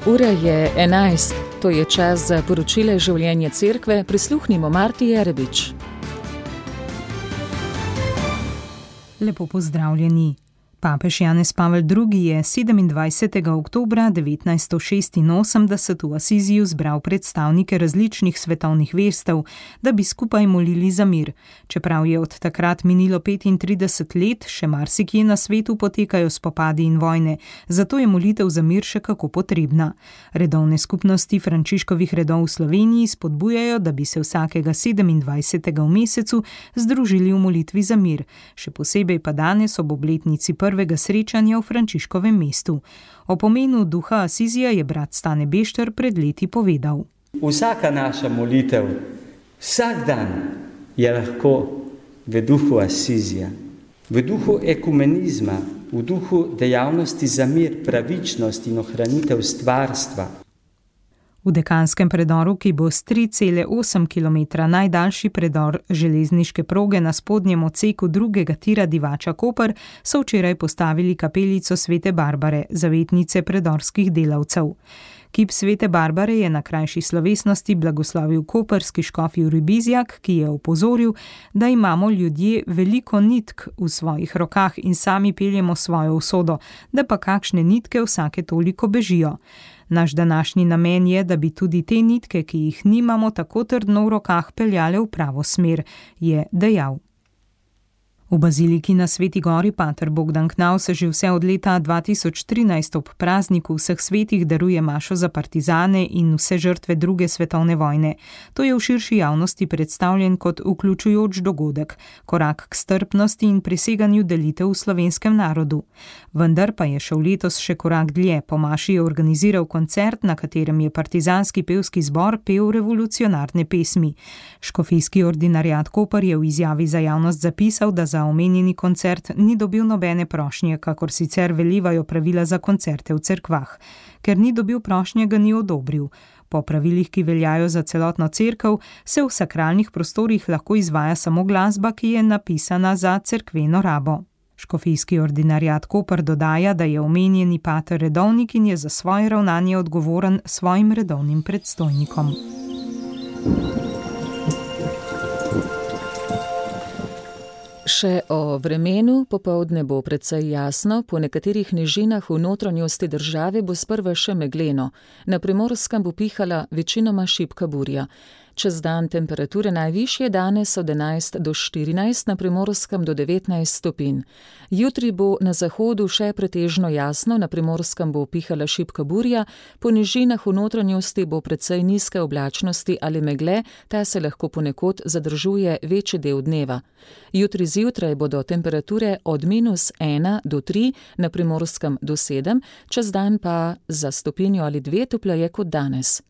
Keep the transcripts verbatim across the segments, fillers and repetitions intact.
Ura je enajst, to je čas za poročile življenja cerkve. Prisluhnimo Marti Jerebič. Lepo pozdravljeni. Papež Janez Pavel drugi je sedemindvajsetega oktobra devetnajststo šestinosemdeset v Asiziju zbral predstavnike različnih svetovnih verstev, da bi skupaj molili za mir. Čeprav je od takrat minilo petintrideset let, še marsikje na svetu potekajo spopadi in vojne, zato je molitev za mir še kako potrebna. Redovne skupnosti Frančiškovih redov v Sloveniji spodbujajo, da bi se vsakega sedemindvajsetega v mesecu združili v molitvi za mir, še posebej pa danes ob obletnici prvega srečanja v Frančiškovem mestu. O pomenu duha Asizija je brat Stane Bešter pred leti povedal. Vsaka naša molitev, vsak dan je lahko v duhu Asizija, v duhu ekumenizma, v duhu dejavnosti za mir, pravičnost in ohranitev stvarstva. V Dekanskem predoru, ki bo s tri cele osem kilometra najdaljši predor železniške proge na spodnjem odseku drugega tira Divača-Koper, so včeraj postavili kapelico Svete Barbare, zavetnice predorskih delavcev. Kip Svete Barbare je na krajši slovesnosti blagoslovil koperski škof Jurij Bizjak, ki je opozoril, da imamo ljudje veliko nitk v svojih rokah in sami peljemo svojo usodo, da pa kakšne nitke vsake toliko bežijo. Naš današnji namen je, da bi tudi te nitke, ki jih nimamo tako trdno v rokah, peljale v pravo smer, je dejal. V baziliki na Sveti gori pater Bogdan Knavs že vse od leta dva tisoč trinajst ob prazniku vseh svetih daruje mašo za partizane in vse žrtve druge svetovne vojne. To je v širši javnosti predstavljen kot vključujoč dogodek, korak k strpnosti in preseganju delitev v slovenskem narodu. Vendar pa je šel letos še korak dlje. Po maši je organiziral koncert, na katerem je partizanski pevski zbor pel revolucionarne pesmi. Škofijski ordinariat Koper je v izjavi za javnost zapisal, da za omenjeni koncert ni dobil nobene prošnje, kakor sicer velivajo pravila za koncerte v cerkvah. Ker ni dobil prošnje, ga ni odobril. Po pravilih, ki veljajo za celotno cerkev, se v sakralnih prostorih lahko izvaja samo glasba, ki je napisana za cerkveno rabo. Škofijski ordinariat Koper dodaja, da je omenjeni pater redovnik in je za svoje ravnanje odgovoren svojim redovnim predstojnikom. Še o vremenu. Popoldne bo precej jasno, po nekaterih nižinah v notranjosti države bo sprva še megleno. Na Primorskem bo pihala večinoma šibka burja. Čez dan temperature najvišje danes od enajst do štirinajst, na Primorskem do devetnajst stopinj. Jutri bo na zahodu še pretežno jasno, na Primorskem bo pihala šibka burja, po nižinah v notranjosti bo precej nizke oblačnosti ali megle, ta se lahko ponekod zadržuje večji del dneva. Jutri zjutraj bodo temperature od minus ena do tri, na Primorskem do sedem, čez dan pa za stopinjo ali dve topleje kot danes.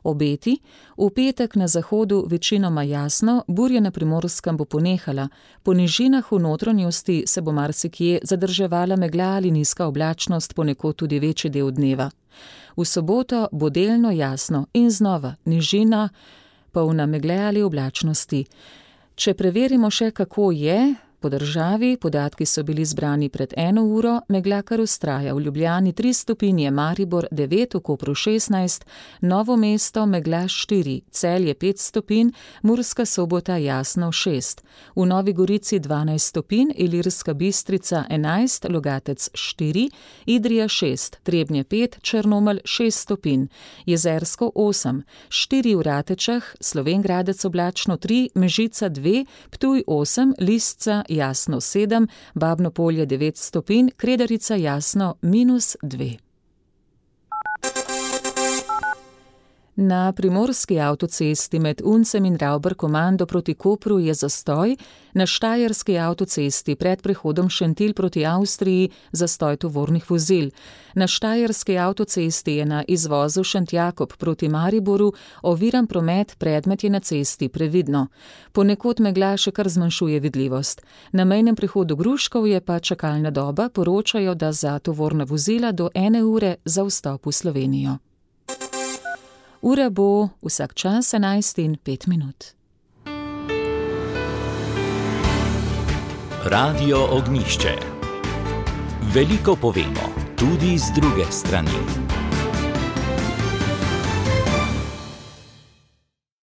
Obeti. V petek na zahodu večinoma jasno, burja na Primorskem bo ponehala. Po nižinah v notranjosti se bo marsikje zadrževala megla ali nizka oblačnost, ponekod tudi večji del dneva. V soboto bo delno jasno in znova nižina, polna megle ali oblačnosti. Če preverimo še, kako je po državi, podatki so bili zbrani pred eno uro, megla kar vztraja. V Ljubljani tri stopinje, Maribor devet, v Kopru šestnajst, Novo mesto megla štiri, Celje pet stopinj, Murska Sobota jasno šest, v Novi Gorici dvanajst stopinj, Ilirska Bistrica enajst, Logatec štiri, Idrija šest, Trebnje pet, Črnomelj šest stopinj, Jezersko osem, štiri v Ratečah, Slovenj Gradec oblačno tri, Mežica dve, Ptuj osem, Lisca jasno sedem, Babno Polje devet stopinj, Kredarica jasno minus dve. Na primorski avtocesti med Uncem in Ravbarkomando proti Kopru je zastoj, na štajerski avtocesti pred prehodom Šentilj proti Avstriji zastoj tovornih vozil. Na štajerski avtocesti je na izvozu Šentjakob proti Mariboru oviran promet, predmet je na cesti, previdno. Ponekod megla še kar zmanjšuje vidljivost. Na mejnem prehodu Gruškov je pa čakalna doba, poročajo, da za tovorna vozila do ene ure za vstop v Slovenijo. Ura bo vsak čas enajst in pet minut. Radio Ognjišče. Veliko povemo, tudi z druge strani.